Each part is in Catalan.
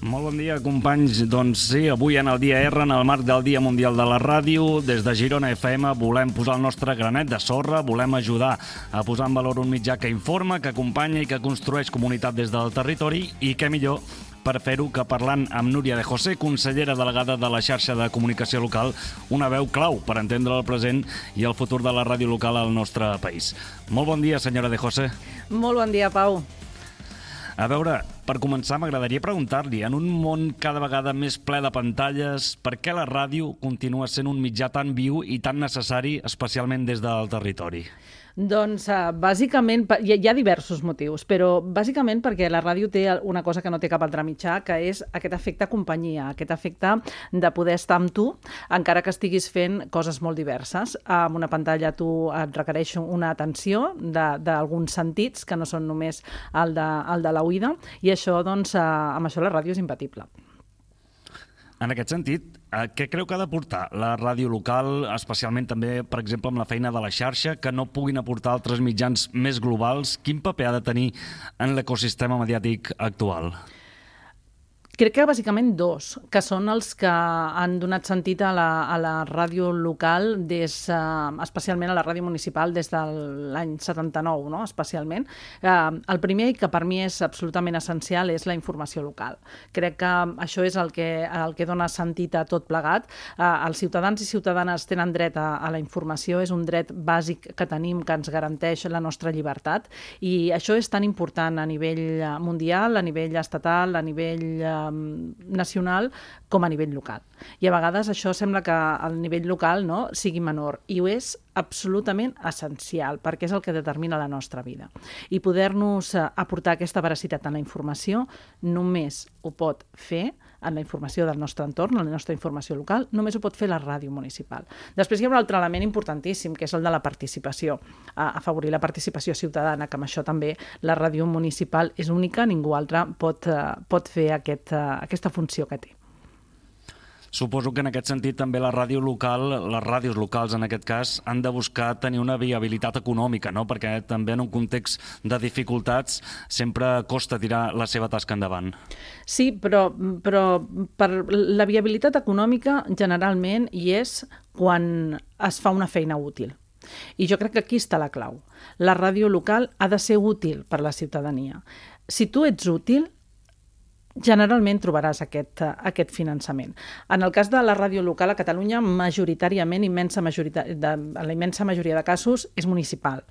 Molt bon dia, companys. Doncs sí, avui en el Dia R, en el marc del Dia Mundial de la Ràdio, des de Girona FM volem posar el nostre granet de sorra, volem ajudar a posar en valor un mitjà que informa, que acompanya i que construeix comunitat des del territori, i què millor per fer-ho que parlant amb Núria de José, consellera delegada de la xarxa de comunicació local, una veu clau per entendre el present i el futur de la ràdio local al nostre país. Molt bon dia, senyora de José. Molt bon dia, Pau. A veure, per començar, m'agradaria preguntar-li, en un món cada vegada més ple de pantalles, per què la ràdio continua sent un mitjà tan viu i tan necessari, especialment des del territori? Doncs, bàsicament, hi ha diversos motius, però bàsicament perquè la ràdio té una cosa que no té cap altre mitjà, que és aquest efecte companyia, aquest efecte de poder estar amb tu, encara que estiguis fent coses molt diverses. Amb una pantalla tu et requereix una atenció d'alguns sentits, que no són només el de l'oïda, i això, doncs, amb això la ràdio és imbatible. En aquest sentit, què creu que ha d'aportar la ràdio local, especialment també, per exemple, amb la feina de la xarxa, que no puguin aportar altres mitjans més globals? Quin paper ha de tenir en l'ecosistema mediàtic actual? Crec que bàsicament dos, que són els que han donat sentit a la ràdio local, especialment a la ràdio municipal, des de l'any 79, no? Especialment. El primer, i que per mi és absolutament essencial, és la informació local. Crec que això és el que dona sentit a tot plegat. Els ciutadans i ciutadanes tenen dret a la informació, és un dret bàsic que tenim, que ens garanteix la nostra llibertat, i això és tan important a nivell mundial, a nivell estatal, a nivell nacional com a nivell local. I a vegades això sembla que el nivell local sigui menor, i ho és absolutament essencial, perquè és el que determina la nostra vida. I poder-nos aportar aquesta veracitat en la informació només ho pot fer en la informació del nostre entorn, en la nostra informació local, només ho pot fer la ràdio municipal. Després hi ha un altre element importantíssim, que és el de la participació, afavorir la participació ciutadana, que amb això també la ràdio municipal és única, ningú altre pot fer aquesta funció que té. Suposo que en aquest sentit també la ràdio local, les ràdios locals en aquest cas, han de buscar tenir una viabilitat econòmica, no? Perquè també en un context de dificultats sempre costa tirar la seva tasca endavant. Sí, però per la viabilitat econòmica generalment hi és quan es fa una feina útil. I jo crec que aquí està la clau. La ràdio local ha de ser útil per a la ciutadania. Si tu ets útil, generalment trobaràs aquest finançament. En el cas de la ràdio local a Catalunya, majoritàriament, la immensa majoria de casos, és municipal.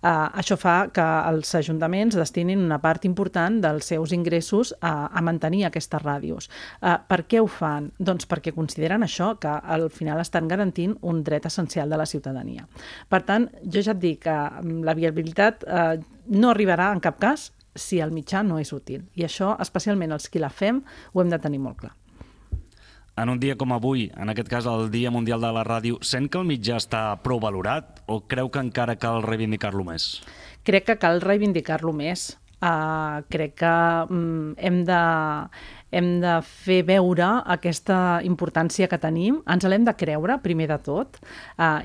Això fa que els ajuntaments destinin una part important dels seus ingressos a mantenir aquestes ràdios. Per què ho fan? Doncs perquè consideren això, que al final estan garantint un dret essencial de la ciutadania. Per tant, jo ja et dic que la viabilitat no arribarà en cap cas si el mitjà no és útil. I això, especialment els qui la fem, ho hem de tenir molt clar. En un dia com avui, en aquest cas el Dia Mundial de la Ràdio, sent que el mitjà està prou valorat o creu que encara cal reivindicar-lo més? Crec que cal reivindicar-lo més. Crec que hem de fer veure aquesta importància que tenim, ens l'hem de creure, primer de tot,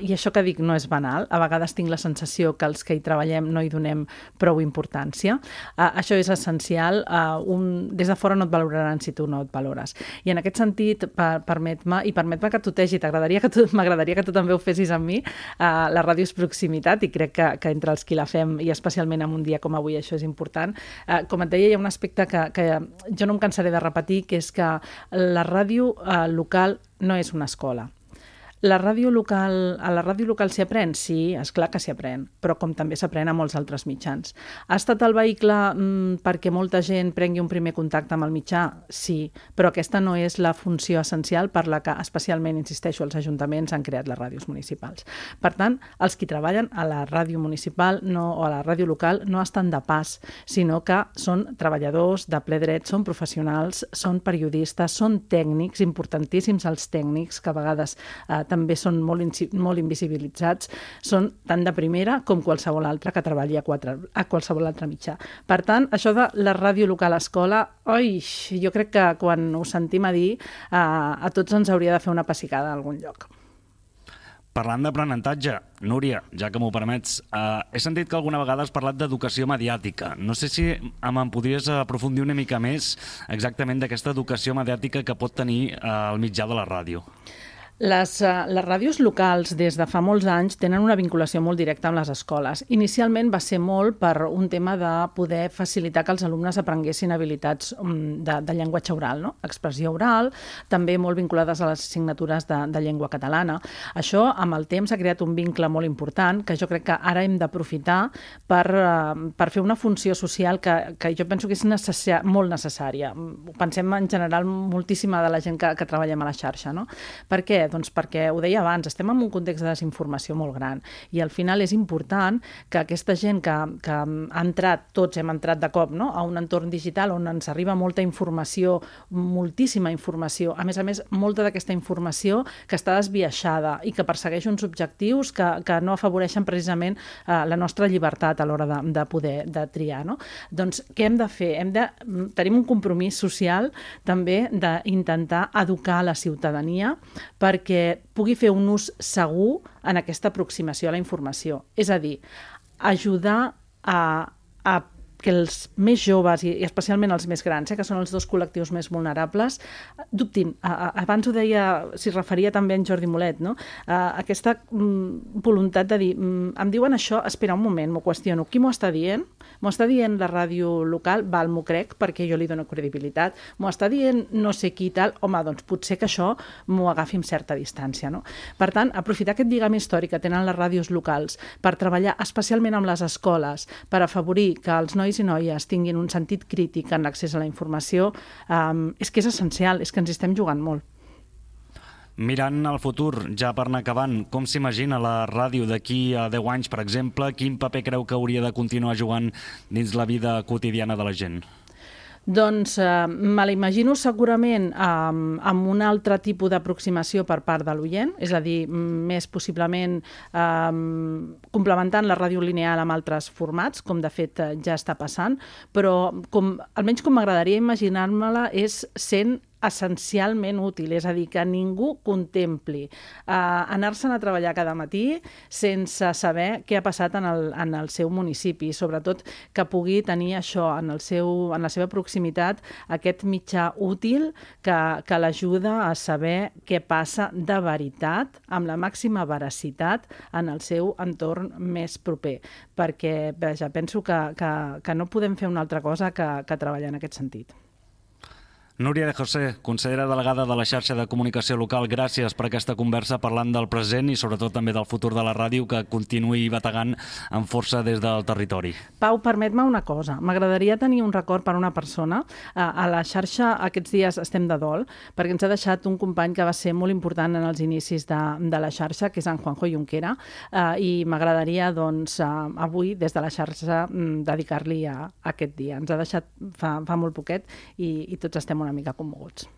i això que dic no és banal, a vegades tinc la sensació que els que hi treballem no hi donem prou importància. Això és essencial, des de fora no et valoraran si tu no et valores. I en aquest sentit, permet-me que tutegi, m'agradaria que tu també ho fessis amb mi, la ràdio és proximitat, i crec que entre els qui la fem, i especialment en un dia com avui, això és important. Com et deia, hi ha un aspecte que jo no em cansaré de repetir, que és que la ràdio local no és una escola. A la ràdio local s'hi aprèn? Sí, esclar que s'hi aprèn, però com també s'aprèn a molts altres mitjans. Ha estat el vehicle perquè molta gent prengui un primer contacte amb el mitjà? Sí, però aquesta no és la funció essencial per la que, especialment, insisteixo, els ajuntaments han creat les ràdios municipals. Per tant, els qui treballen a la ràdio municipal o a la ràdio local no estan de pas, sinó que són treballadors de ple dret, són professionals, són periodistes, són tècnics, importantíssims els tècnics, que a vegades també són molt invisibilitzats, són tan de primera com qualsevol altre que treballi a qualsevol altre mitjà. Per tant, això de la ràdio local a escola, jo crec que quan ho sentim a dir, a tots ens hauria de fer una pessigada a algun lloc. Parlant d'aprenentatge, Núria, ja que m'ho permets, he sentit que alguna vegada has parlat d'educació mediàtica. No sé si em podries aprofundir una mica més exactament d'aquesta educació mediàtica que pot tenir el mitjà de la ràdio. Les ràdios locals des de fa molts anys tenen una vinculació molt directa amb les escoles. Inicialment va ser molt per un tema de poder facilitar que els alumnes aprenguessin habilitats de llenguatge oral, no? Expressió oral, també molt vinculades a les assignatures de llengua catalana. Això, amb el temps, ha creat un vincle molt important que jo crec que ara hem d'aprofitar per fer una funció social que jo penso que és molt necessària. Pensem en general moltíssima de la gent que treballem a la xarxa, no? Per què? Doncs perquè, ho deia abans, estem en un context de desinformació molt gran i al final és important que aquesta gent que ha entrat, tots hem entrat de cop, no?, a un entorn digital on ens arriba molta informació, moltíssima informació, a més, molta d'aquesta informació que està desbiaixada i que persegueix uns objectius que no afavoreixen precisament la nostra llibertat a l'hora de poder triar, no? Doncs què hem de fer? Tenim un compromís social també d'intentar educar la ciutadania perquè pugui fer un ús segur en aquesta aproximació a la informació. És a dir, ajudar a que els més joves i especialment els més grans, que són els dos col·lectius més vulnerables, dubtin. Abans ho deia, s'hi referia també en Jordi Molet, no? Aquesta voluntat de dir, em diuen això, espera un moment, m'ho qüestiono, qui m'ho està dient? M'ho està dient la ràdio local? Val, m'ho crec, perquè jo li dono credibilitat. M'ho està dient no sé qui tal? Home, doncs potser que això m'ho agafi amb certa distància, no? Per tant, aprofitar aquest lligam històric que tenen les ràdios locals per treballar especialment amb les escoles, per afavorir que els nois i noies tinguin un sentit crític en l'accés a la informació, és que és essencial, és que ens hi estem jugant molt. Mirant al futur, ja per anar acabant, com s'imagina la ràdio d'aquí a 10 anys, per exemple? Quin paper creu que hauria de continuar jugant dins la vida quotidiana de la gent? Doncs me l'imagino segurament amb un altre tipus d'aproximació per part de l'oient, és a dir, més possiblement complementant la ràdio lineal amb altres formats, com de fet ja està passant, però almenys com m'agradaria imaginar-me-la és sent essencialment útil, és a dir, que ningú contempli anar-se'n a treballar cada matí sense saber què ha passat en el seu municipi, sobretot que pugui tenir això en la seva proximitat, aquest mitjà útil que l'ajuda a saber què passa de veritat, amb la màxima veracitat en el seu entorn més proper, perquè penso que no podem fer una altra cosa que treballar en aquest sentit. Núria de José, consellera delegada de la xarxa de comunicació local, gràcies per aquesta conversa parlant del present i sobretot també del futur de la ràdio que continuï bategant amb força des del territori. Pau, permet-me una cosa. M'agradaria tenir un record per una persona. A la xarxa aquests dies estem de dol perquè ens ha deixat un company que va ser molt important en els inicis de la xarxa, que és en Juanjo Junquera, i m'agradaria doncs, avui des de la xarxa dedicar-li a aquest dia. Ens ha deixat fa molt poquet i tots estem una mica commoguts.